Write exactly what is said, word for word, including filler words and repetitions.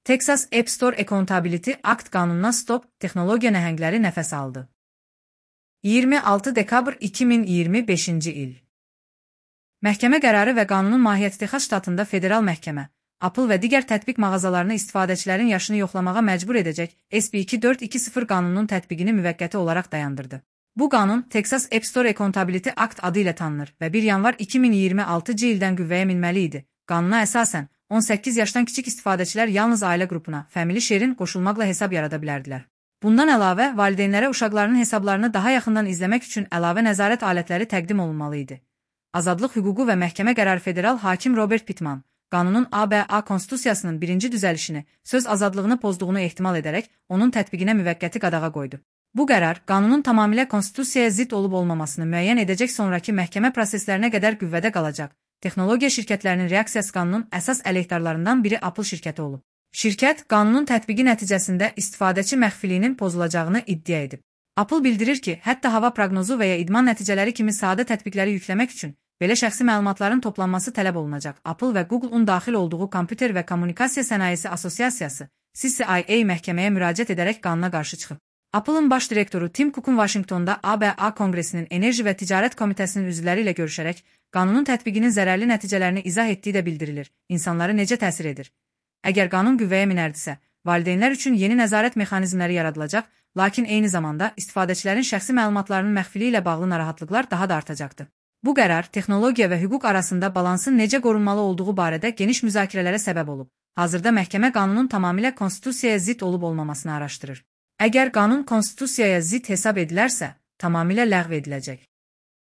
Texas App Store Accountability Act qanununa stop, texnologiya nəhəngləri nəfəs aldı. iyirmi altı dekabr iki min iyirmi beşinci il. Məhkəmə qərarı və qanunun mahiyyəti Texas ştatında federal məhkəmə, Apple və digər tətbiq mağazalarını istifadəçilərin yaşını yoxlamağa məcbur edəcək S B iki dörd iki sıfır qanununun tətbiqini müvəqqəti olaraq dayandırdı. Bu qanun Texas App Store Accountability Act adı ilə tanınır və bir yanvar iki min iyirmi altıncı ildən qüvvəyə minməli idi. Qanuna əsasən, on səkkiz yaşdan kiçik istifadəçilər yalnız ailə qrupuna, Family Share-in qoşulmaqla hesab yarada bilərdilər. Bundan əlavə, valideynlərə uşaqlarının hesablarını daha yaxından izləmək üçün əlavə nəzarət alətləri təqdim olunmalı idi. Azadlıq hüququ və məhkəmə qərarı federal hakim Robert Pittman, qanunun A B A Konstitusiyasının birinci düzəlişini, söz azadlığını pozduğunu ehtimal edərək, onun tətbiqinə müvəqqəti qadağa qoydu. Bu qərar, qanunun tamamilə konstitusiyaya zidd olub-olmamasını müəyyən edəcək sonraki məhkəmə proseslərinə qədər qüvvədə qalacaq. Texnologiya şirkətlərinin reaksiyası qanunun əsas əleyhdarlarından biri Apple şirkəti olub. Şirkət, qanunun tətbiqi nəticəsində istifadəçi məxfiliyinin pozulacağını iddia edib. Apple bildirir ki, hətta hava proqnozu və ya idman nəticələri kimi sadə tətbiqləri yükləmək üçün belə şəxsi məlumatların toplanması tələb olunacaq. Apple və Google-un daxil olduğu Kompüter və Kommunikasiya Sənayesi Assosiasiyası C C I A məhkəməyə müraciət edərək qanuna qarşı çıxıb. Apple'ın baş direktoru Tim Cook'un Vaşinqtonda A B A Konqresinin Enerji və Ticarət Komitəsinin üzvləri ilə görüşərək qanunun tətbiqinin zərərli nəticələrini izah etdiyi də bildirilir. İnsanları necə təsir edir? Əgər qanun qüvvəyə minərdisə, valideynlər üçün yeni nəzarət mexanizmləri yaradılacaq, lakin eyni zamanda istifadəçilərin şəxsi məlumatlarının məxfiliyi ilə bağlı narahatlıqlar daha da artacaqdı. Bu qərar texnologiya və hüquq arasında balansın necə qorunmalı olduğu barədə geniş müzakirələrə səbəb olub. Hazırda məhkəmə qanunun tamamilə konstitusiyaya zidd olub-olmamasını araşdırır. Əgər qanun konstitusiyaya zidd hesab edilərsə, tamamilə ləğv ediləcək.